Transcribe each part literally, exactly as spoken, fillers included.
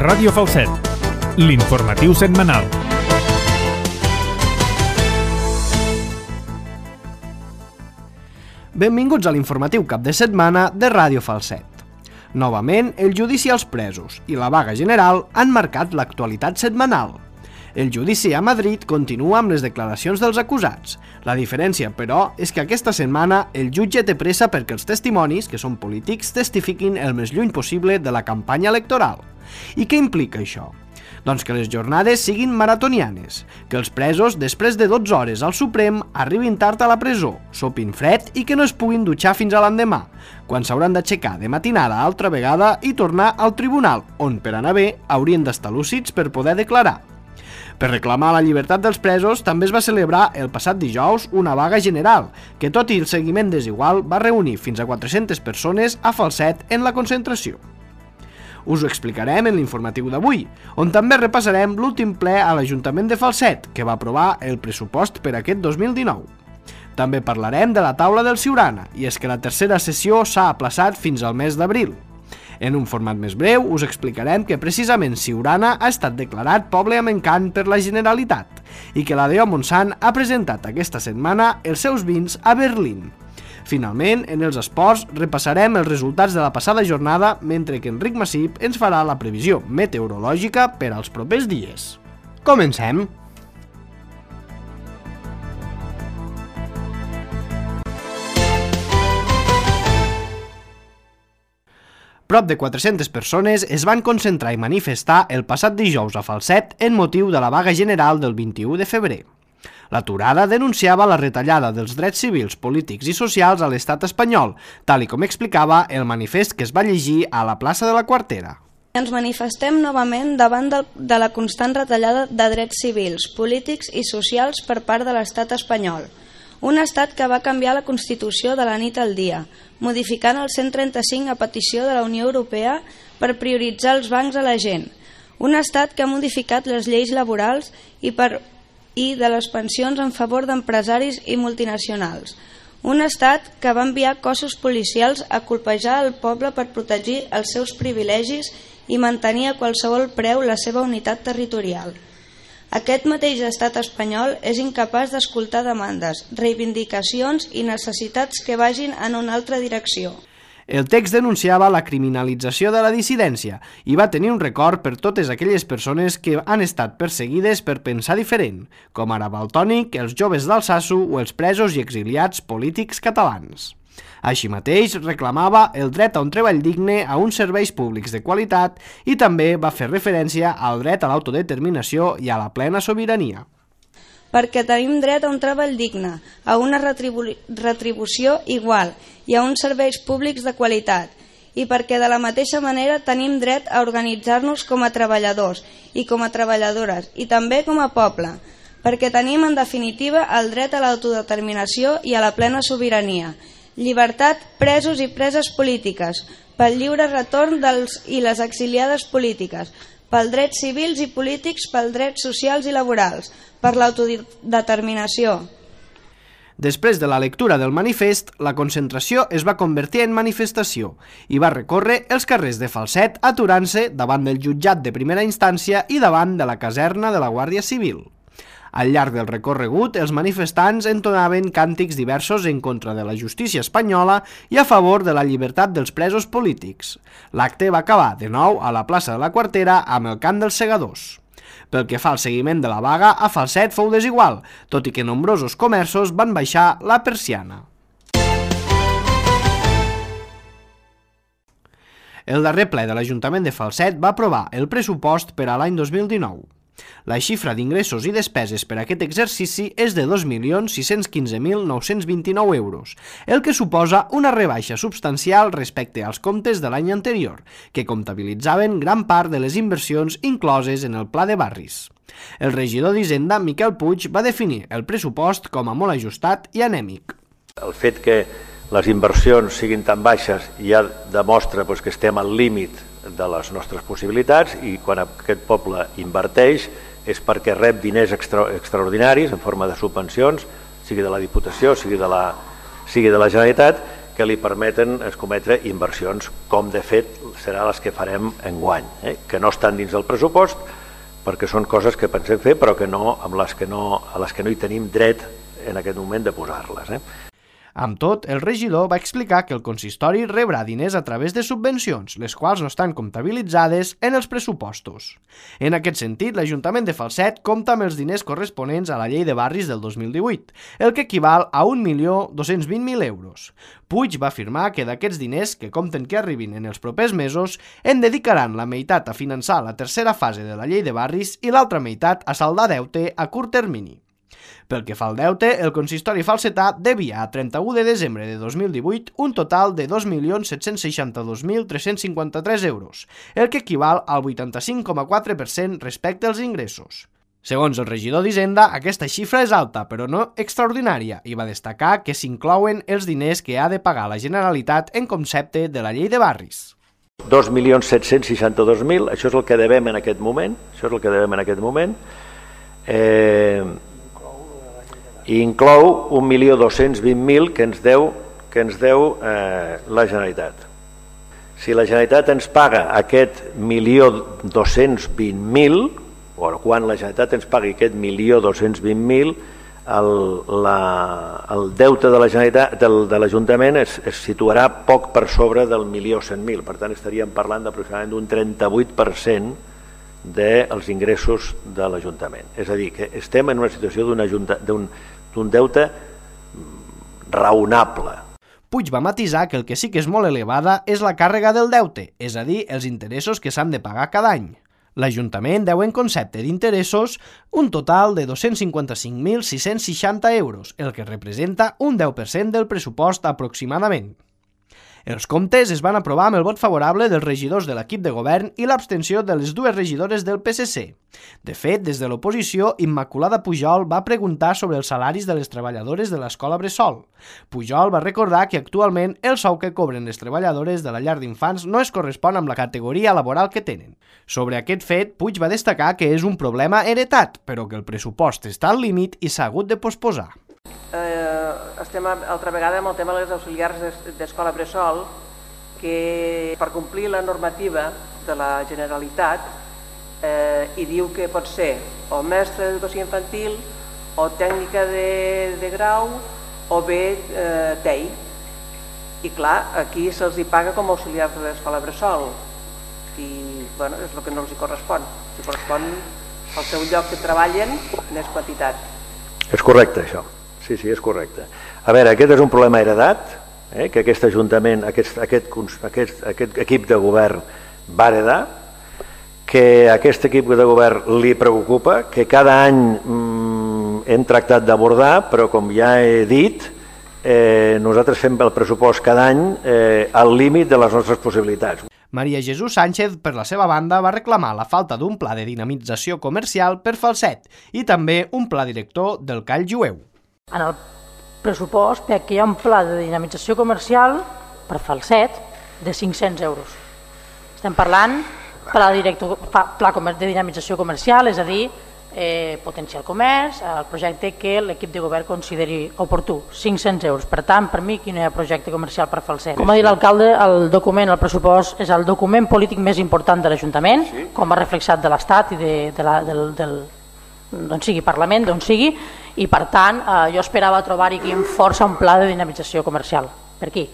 Ràdio Falset, l'informatiu setmanal. Benvinguts a l'informatiu cap de setmana de Ràdio Falset. Novament, el judici als presos i la vaga general han marcat l'actualitat setmanal. El judici a Madrid continua amb les declaracions dels acusats. La diferència, però, és que aquesta setmana el jutge té pressa perquè els testimonis, que són polítics, testifiquin el més lluny possible de la campanya electoral. I què implica això? Doncs que les jornades siguin maratonianes, que els presos, després de dotze hores al Suprem, arribin tard a la presó, sopin fred i que no es puguin dutxar fins a l'endemà, quan s'hauran d'aixecar de matinada altra vegada i tornar al tribunal, on, per anar bé, haurien d'estar lúcids per poder declarar. Per reclamar la llibertat dels presos, també es va celebrar el passat dijous una vaga general, que tot i el seguiment desigual va reunir fins a quatre-centes persones a Falset en la concentració. Us ho explicarem en l'informatiu d'avui, on també repassarem l'últim ple a l'Ajuntament de Falset, que va aprovar el pressupost per aquest dos mil dinou. També parlarem de la taula del Siurana, i és que la tercera sessió s'ha aplaçat fins al mes d'abril. En un format més breu us explicarem que precisament Siurana ha estat declarat poble amb encant per la Generalitat i que la D O Montsant ha presentat aquesta setmana els seus vins a Berlín. Finalment, en els esports, repassarem els resultats de la passada jornada, mentre que Enric Massip ens farà la previsió meteorològica per als propers dies. Comencem! Prop de quatre-centes persones es van concentrar i manifestar el passat dijous a Falset en motiu de la vaga general del vint-i-u de febrer. L'aturada denunciava la retallada dels drets civils, polítics i socials a l'estat espanyol, tal i com explicava el manifest que es va llegir a la plaça de la Quartera. Ens manifestem novament davant de la constant retallada de drets civils, polítics i socials per part de l'estat espanyol. Un estat que va canviar la Constitució de la nit al dia, modificant el cent trenta-cinc a petició de la Unió Europea per prioritzar els bancs a la gent. Un estat que ha modificat les lleis laborals i per i de les pensions en favor d'empresaris i multinacionals. Un estat que va enviar cossos policials a colpejar el poble per protegir els seus privilegis i mantenir a qualsevol preu la seva unitat territorial. Aquest mateix estat espanyol és incapaç d'escoltar demandes, reivindicacions i necessitats que vagin en una altra direcció. El text denunciava la criminalització de la dissidència i va tenir un record per totes aquelles persones que han estat perseguides per pensar diferent, com ara Valtònic, els joves d'Alsasu o els presos i exiliats polítics catalans. Així mateix, reclamava el dret a un treball digne, a uns serveis públics de qualitat i també va fer referència al dret a l'autodeterminació i a la plena sobirania. Perquè tenim dret a un treball digne, a una retribu retribució igual i a uns serveis públics de qualitat, i perquè de la mateixa manera tenim dret a organitzar-nos com a treballadors i com a treballadores i també com a poble, perquè tenim en definitiva el dret a l'autodeterminació i a la plena sobirania, llibertat, presos i preses polítiques, pel lliure retorn dels i les exiliades polítiques, pel drets civils i polítics, pels drets socials i laborals, per l'autodeterminació. Després de la lectura del manifest, la concentració es va convertir en manifestació i va recórrer els carrers de Falset aturant-se davant del jutjat de primera instància i davant de la caserna de la Guàrdia Civil. Al llarg del recorregut, els manifestants entonaven càntics diversos en contra de la justícia espanyola i a favor de la llibertat dels presos polítics. L'acte va acabar de nou a la plaça de la Quartera amb el cant dels segadors. Pel que fa al seguiment de la vaga, a Falset fou desigual, tot i que nombrosos comerços van baixar la persiana. El darrer ple de l'Ajuntament de Falset va aprovar el pressupost per a l'any dos mil dinou. La xifra d'ingressos i despeses per a aquest exercici és de dos milions sis-cents quinze mil nou-cents vint-i-nou euros, el que suposa una rebaixa substancial respecte als comptes de l'any anterior, que comptabilitzaven gran part de les inversions incloses en el Pla de Barris. El regidor d'Hisenda, Miquel Puig, va definir el pressupost com a molt ajustat i anèmic. El fet que les inversions siguin tan baixes ja demostra doncs, que estem al límit de les nostres possibilitats i quan aquest poble inverteix és perquè rep diners extra, extraordinaris en forma de subvencions, sigui de la Diputació, sigui de la, sigui de la Generalitat, que li permeten escometre inversions, com de fet serà les que farem enguany, eh? que no estan dins del pressupost, perquè són coses que pensem fer però que no, amb les que no, a les que no hi tenim dret en aquest moment de posar-les. Eh? Amb tot, el regidor va explicar que el consistori rebrà diners a través de subvencions, les quals no estan comptabilitzades en els pressupostos. En aquest sentit, l'Ajuntament de Falset compta amb els diners corresponents a la Llei de Barris del dos mil divuit, el que equival a un milió dos-cents vint mil euros. Puig va afirmar que d'aquests diners, que compten que arribin en els propers mesos, en dedicaran la meitat a finançar la tercera fase de la Llei de Barris i l'altra meitat a saldar deute a curt termini. Pel que fa al deute, el consistori falsetà devia a trenta-u de desembre de dos mil divuit un total de dos milions set-cents seixanta-dos mil tres-cents cinquanta-tres euros, el que equival al vuitanta-cinc coma quatre per cent respecte als ingressos. Segons el regidor d'Hisenda, aquesta xifra és alta, però no extraordinària, i va destacar que s'inclouen els diners que ha de pagar la Generalitat en concepte de la Llei de Barris. dos milions set-cents seixanta-dos mil, això és el que devem en aquest moment, això és el que devem en aquest moment, eh... i inclou un milió dos-cents vint mil que ens deu, que ens deu eh, la Generalitat. Si la Generalitat ens paga aquest milió dos-cents vint mil, o quan la Generalitat ens pagui aquest milió dos-cents vint mil, el, la, el deute de la Generalitat, del, de l'Ajuntament es, es situarà poc per sobre del milió cent mil, per tant estaríem parlant d'aproximadament d'un trenta-vuit per cent dels ingressos de l'Ajuntament. És a dir, que estem en una situació d'un d'un deute raonable. Puig va matisar que el que sí que és molt elevada és la càrrega del deute, és a dir, els interessos que s'han de pagar cada any. L'Ajuntament deu en concepte d'interessos un total de dos-cents cinquanta-cinc mil sis-cents seixanta euros, el que representa un deu per cent del pressupost aproximadament. Els comptes es van aprovar amb el vot favorable dels regidors de l'equip de govern i l'abstenció de les dues regidores del P S C. De fet, des de l'oposició, Immaculada Pujol va preguntar sobre els salaris de les treballadores de l'escola Bressol. Pujol va recordar que actualment el sou que cobren les treballadores de la llar d'infants no es correspon amb la categoria laboral que tenen. Sobre aquest fet, Puig va destacar que és un problema heretat, però que el pressupost està al límit i s'ha hagut de posposar. Eh, estem altra vegada amb el tema de les auxiliars d'escola Bressol, que per complir la normativa de la Generalitat eh, hi diu que pot ser o mestre d'educació infantil o tècnica de, de grau o bé eh, T E I. I clar, aquí se'ls hi paga com a auxiliars de l'escola Bressol i bueno, és el que no els hi correspon. Si correspon al seu lloc que treballen, n'és quantitat. És correcte, això. Sí, sí, és correcte. A veure, aquest és un problema heredat, eh, que aquest Ajuntament, aquest, aquest, aquest, aquest equip de govern va heredar, que aquest equip de govern li preocupa, que cada any mm, hem tractat d'abordar, però com ja he dit, eh, nosaltres fem el pressupost cada any eh, al límit de les nostres possibilitats. Maria Jesús Sánchez, per la seva banda, va reclamar la falta d'un pla de dinamització comercial per Falset i també un pla director del Call Jueu. En el pressupost veig que hi ha un pla de dinamització comercial per Falset de cinc-cents euros. Estem parlant pla, director, pla de dinamització comercial, és a dir, eh, potenciar el comerç, el projecte que l'equip de govern consideri oportú, cinc-cents euros. Per tant, per mi, aquí no hi ha projecte comercial per Falset. Com ha dit l'alcalde, el document, el pressupost, és el document polític més important de l'Ajuntament, sí, com ha reflexat de l'Estat i de, de la, del, del d'on sigui Parlament, d'on sigui, i per tant eh, jo esperava trobar-hi aquí amb força un pla de dinamització comercial. Per aquí.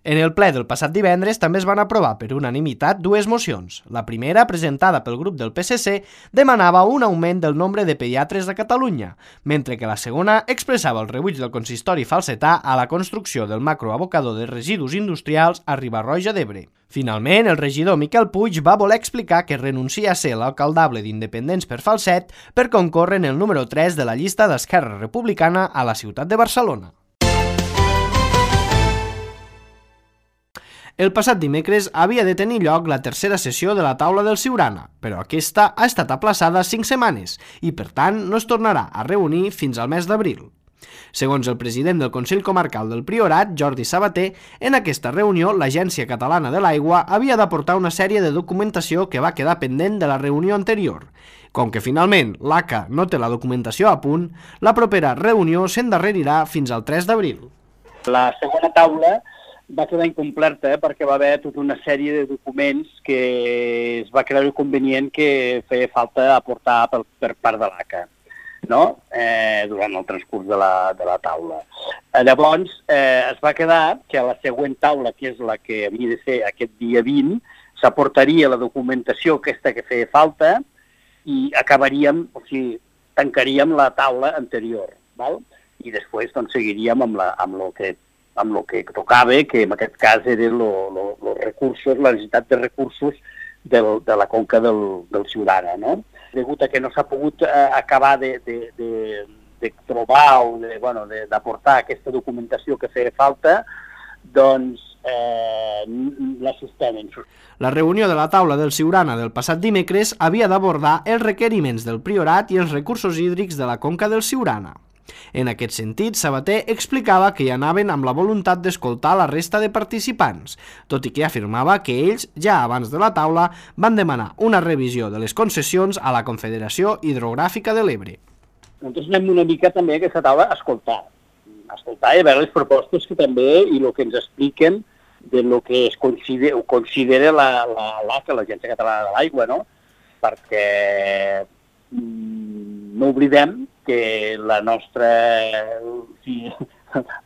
En el ple del passat divendres també es van aprovar per unanimitat dues mocions. La primera, presentada pel grup del P S C, demanava un augment del nombre de pediatres de Catalunya, mentre que la segona expressava el rebuig del consistori falsetà a la construcció del macroabocador de residus industrials a Riba-roja d'Ebre. Finalment, el regidor Miquel Puig va voler explicar que renuncia a ser l'alcaldable d'Independents per Falset per concórrer en el número tres de la llista d'Esquerra Republicana a la ciutat de Barcelona. El passat dimecres havia de tenir lloc la tercera sessió de la taula del Siurana, però aquesta ha estat aplaçada cinc setmanes i, per tant, no es tornarà a reunir fins al mes d'abril. Segons el president del Consell Comarcal del Priorat, Jordi Sabater, en aquesta reunió l'Agència Catalana de l'Aigua havia d'aportar una sèrie de documentació que va quedar pendent de la reunió anterior. Com que finalment l'A C A no té la documentació a punt, la propera reunió s'endarrerirà fins al tres d'abril. La segona taula va quedar incomplerta perquè va haver tota una sèrie de documents que es va creure convenient que feia falta aportar per, per part de l'A C A, no? eh, durant el transcurs de la, de la taula. Eh, llavors, eh, es va quedar que a la següent taula, que és la que havia de ser aquest dia vint, s'aportaria la documentació aquesta que feia falta i acabaríem, o sigui, tancaríem la taula anterior, val? I després doncs, seguiríem amb, la, amb, lo que, amb lo que tocava, que en aquest cas eren els recursos, la necessitat de recursos del, de la conca del, del Siurana, no? Degut a que no s'ha pogut eh, acabar de, de, de, de trobar o de, bueno, d'aportar aquesta documentació que feia falta, doncs eh, la suspenen. La reunió de la taula del Siurana del passat dimecres havia d'abordar els requeriments del Priorat i els recursos hídrics de la conca del Siurana. En aquest sentit, Sabater explicava que hi anaven amb la voluntat d'escoltar la resta de participants, tot i que afirmava que ells, ja abans de la taula, van demanar una revisió de les concessions a la Confederació Hidrogràfica de l'Ebre. Nosaltres anem una mica també a aquesta taula a escoltar, a escoltar i a veure les propostes que també i el que ens expliquen de lo que es considera, considera la, la, l'A C A, l'Agència Catalana de l'Aigua, no? Perquè mm, no oblidem que la nostra, sí,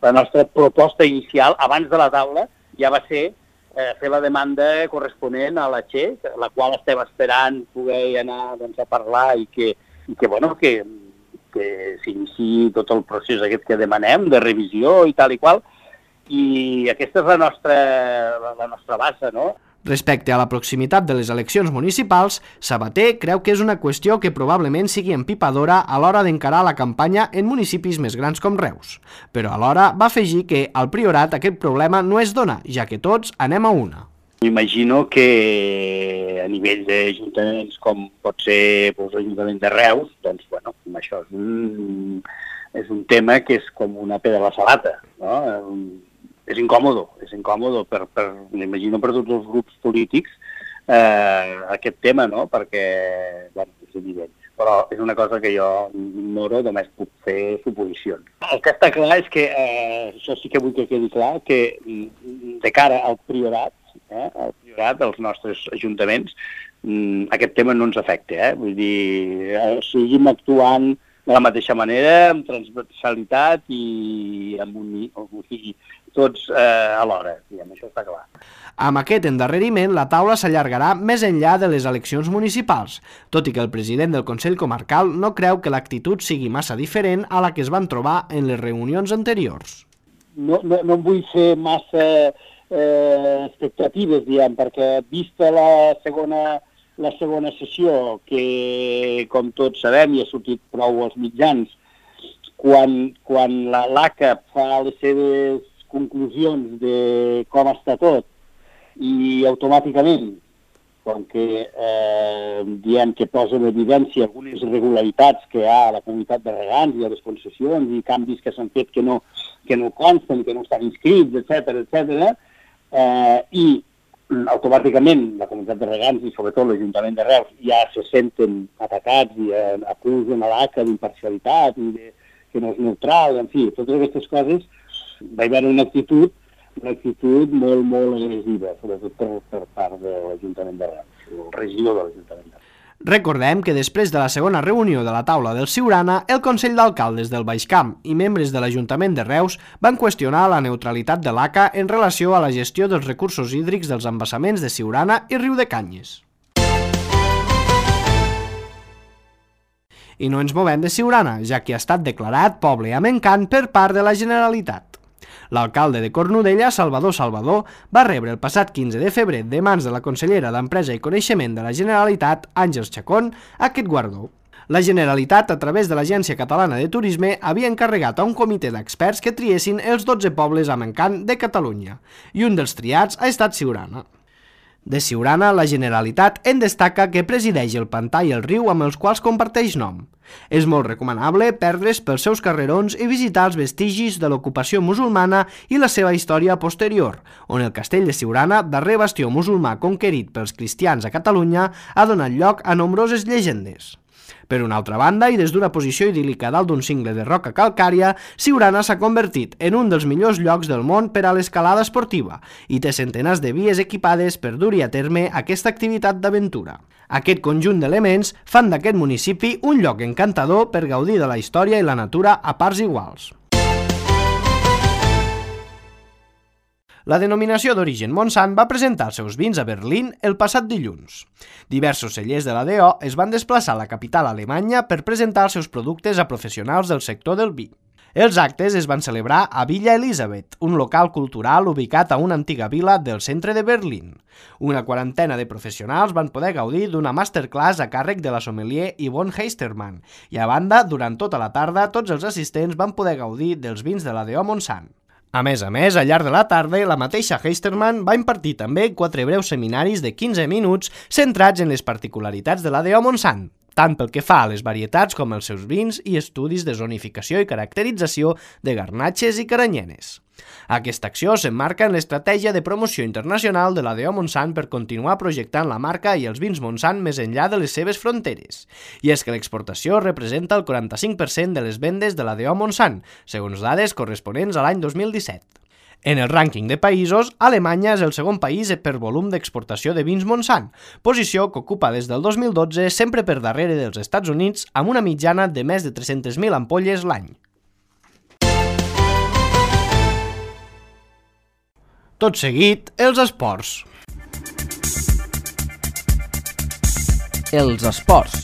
la nostra proposta inicial, abans de la taula, ja va ser eh, fer la demanda corresponent a la Che, la qual estem esperant poder anar doncs, a parlar i que, i que, bueno, que, que s'iniciï tot el procés aquest que demanem, de revisió i tal i qual, i aquesta és la nostra, la, la nostra base, no? Respecte a la proximitat de les eleccions municipals, Sabater creu que és una qüestió que probablement sigui empipadora a l'hora d'encarar la campanya en municipis més grans com Reus. Però alhora va afegir que al Priorat aquest problema no es dona, ja que tots anem a una. M'imagino que a nivell d'ajuntaments com pot ser doncs, l'Ajuntament de Reus, doncs, bueno, això és un, és un tema que és com una pedra a la salata, no? És incòmodo, és incòmodo, per, per, m'imagino per tots els grups polítics, eh, aquest tema, no? Perquè, bueno, és evident. Però és una cosa que jo ignoro, només puc fer suposicions. El que està clar és que, eh, això sí que vull que quedi clar, que de cara al Priorat, eh, al Priorat dels nostres ajuntaments, aquest tema no ens afecta, eh? Vull dir, seguim actuant de la mateixa manera, amb transversalitat i amb un, o sigui, tots eh, alhora, diguem, això està clar. Amb aquest endarreriment, la taula s'allargarà més enllà de les eleccions municipals, tot i que el president del Consell Comarcal no creu que l'actitud sigui massa diferent a la que es van trobar en les reunions anteriors. No, no, no vull fer massa eh, expectatives, diguem, perquè vista la segona, la segona sessió, que com tots sabem i ha sortit prou als mitjans, quan, quan la l'A C A fa les seves conclusions de com està tot i automàticament, com que eh, diem que posa en evidència algunes irregularitats que hi ha a la comunitat de regants i a les concessions i canvis que s'han fet que no, que no consten, que no estan inscrits, etcètera, etcètera, eh, i automàticament la comunitat de regants i sobretot l'Ajuntament de Reus ja se senten atacats i eh, acusen a l'A C A d'imparcialitat i de, que no és neutral, en fi, totes aquestes coses. Va haver una actitud, una actitud molt, molt agressiva, sobretot per, per part de l'Ajuntament de Reus, el regidor de l'Ajuntament de Reus. Recordem que després de la segona reunió de la taula del Siurana, el Consell d'Alcaldes del Baix Camp i membres de l'Ajuntament de Reus van qüestionar la neutralitat de l'A C A en relació a la gestió dels recursos hídrics dels embassaments de Siurana i Riudecanyes. I no ens movem de Siurana, ja que ha estat declarat poble amb encant per part de la Generalitat. L'alcalde de Cornudella, Salvador Salvador, va rebre el passat quinze de febrer de mans de la consellera d'Empresa i Coneixement de la Generalitat, Àngels Chacón, aquest guardó. La Generalitat, a través de l'Agència Catalana de Turisme, havia encarregat a un comitè d'experts que triessin els dotze pobles amb encant de Catalunya, i un dels triats ha estat Siurana. De Siurana, la Generalitat en destaca que presideix el pantà i el riu amb els quals comparteix nom. És molt recomanable perdre's pels seus carrerons i visitar els vestigis de l'ocupació musulmana i la seva història posterior, on el castell de Siurana, darrer bastió musulmà conquerit pels cristians a Catalunya, ha donat lloc a nombroses llegendes. Per una altra banda, i des d'una posició idíl·lica dalt d'un cingle de roca calcària, Siurana s'ha convertit en un dels millors llocs del món per a l'escalada esportiva i té centenars de vies equipades per dur-hi a terme aquesta activitat d'aventura. Aquest conjunt d'elements fan d'aquest municipi un lloc encantador per gaudir de la història i la natura a parts iguals. La denominació d'origen Montsant va presentar els seus vins a Berlín el passat dilluns. Diversos cellers de la D O es van desplaçar a la capital alemanya per presentar els seus productes a professionals del sector del vi. Els actes es van celebrar a Villa Elisabeth, un local cultural ubicat a una antiga vila del centre de Berlín. Una quarantena de professionals van poder gaudir d'una masterclass a càrrec de la sommelier Yvonne Heistermann i, a banda, durant tota la tarda, tots els assistents van poder gaudir dels vins de la D O Montsant. A més a més, al llarg de la tarda, la mateixa Heistermann va impartir també quatre breus seminaris de quinze minuts centrats en les particularitats de la D O Montsant, tant pel que fa a les varietats com els seus vins i estudis de zonificació i caracterització de garnatxes i caranyenes. Aquesta acció s'emmarca en l'estratègia de promoció internacional de la D O Montsant per continuar projectant la marca i els vins Montsant més enllà de les seves fronteres. I és que l'exportació representa el quaranta-cinc per cent de les vendes de la D O Montsant, segons dades corresponents a l'any dos mil disset. En el rànquing de països, Alemanya és el segon país per volum d'exportació de vins Montsant, posició que ocupa des del dos mil dotze sempre per darrere dels Estats Units amb una mitjana de més de tres-centes mil ampolles l'any. Tot seguit, els esports. Els esports.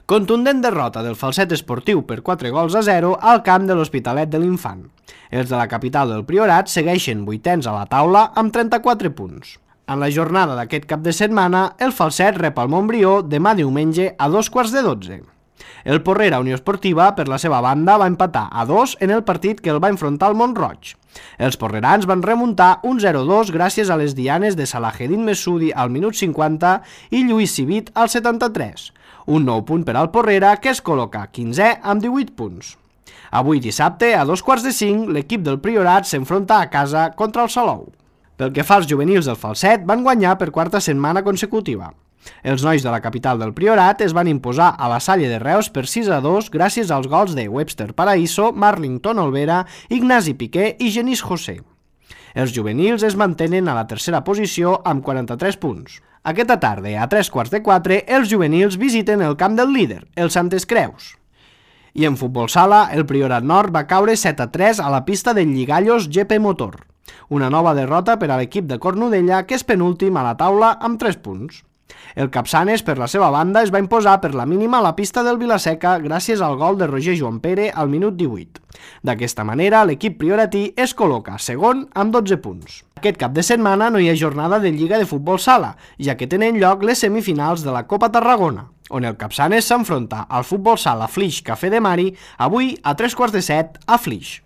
Contundent derrota del Falset esportiu per quatre gols a zero al camp de l'Hospitalet de l'Infant. Els de la capital del Priorat segueixen vuitens a la taula amb trenta-quatre punts. En la jornada d'aquest cap de setmana, el Falset rep el Montbrió demà diumenge a dos quarts de dotze. El Porrera Unió Esportiva, per la seva banda, va empatar a dos en el partit que el va enfrontar al Mont-roig. Els porrerans van remuntar un zero dos gràcies a les dianes de Salahedin Messoudi al minut cinquanta i Lluís Civit al setanta-tres. Un nou punt per al Porrera, que es col·loca quinzè amb divuit punts. Avui dissabte, a dos quarts de cinc, l'equip del Priorat s'enfronta a casa contra el Salou. Pel que fa als juvenils del Falset, van guanyar per quarta setmana consecutiva. Els nois de la capital del Priorat es van imposar a la Salle de Reus per sis a dos gràcies als gols de Webster Paraíso, Marlington Olvera, Ignasi Piqué i Genís José. Els juvenils es mantenen a la tercera posició amb quaranta-tres punts. Aquesta tarda, a tres quarts de quatre, els juvenils visiten el camp del líder, el Santes Creus. I en futbol sala, el Priorat Nord va caure set a tres a la pista del Lligallos G P Motor. Una nova derrota per a l'equip de Cornudella, que és penúltim a la taula amb tres punts. El Capçanes, per la seva banda, es va imposar per la mínima a la pista del Vilaseca gràcies al gol de Roger Joan Pere al minut divuit. D'aquesta manera, l'equip prioratí es col·loca segon amb dotze punts. Aquest cap de setmana no hi ha jornada de Lliga de Futbol Sala, ja que tenen lloc les semifinals de la Copa Tarragona, on el Capçanes s'enfronta al Futbol Sala Flix Café de Mari avui a tres quarts de set a Flix.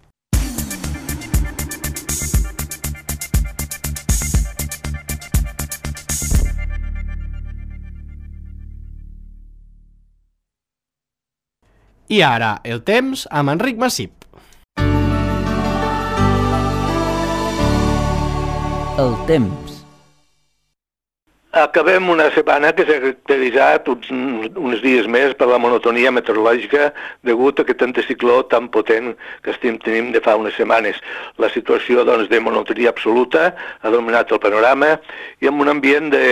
I ara, el temps amb Enric Massip. El temps. Acabem una setmana que s'ha caracteritzat uns, uns dies més per la monotonia meteorològica degut a aquest anticicló tan potent que estem tenint de fa unes setmanes. La situació doncs, de monotonia absoluta ha dominat el panorama i amb un ambient de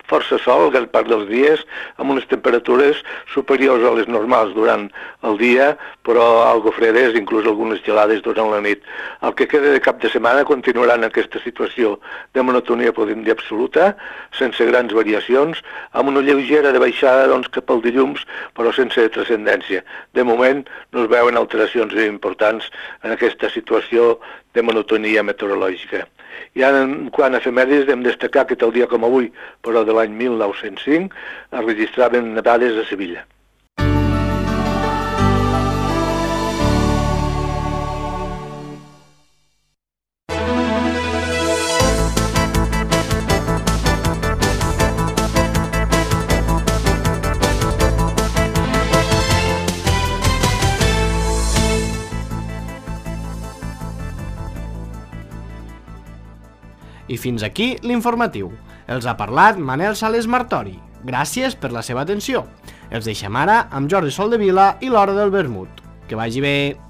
força sol gran part dels dies, amb unes temperatures superiors a les normals durant el dia, però algo fredes, inclús algunes gelades durant la nit. El que queda de cap de setmana continuarà en aquesta situació de monotonia, podem dir, absoluta, sense grans variacions, amb una lleugera de baixada doncs, cap al dilluns, però sense transcendència. De moment no es veuen alteracions importants en aquesta situació de monotonia meteorològica. I ara, en quant a efemèrides, hem destacar que tal dia com avui, però de l'any mil nou-cents cinc, es registraven nevades a Sevilla. I fins aquí l'informatiu. Els ha parlat Manel Sales Martori. Gràcies per la seva atenció. Els deixem ara amb Jordi Soldevila i l'Hora del Vermut. Que vagi bé!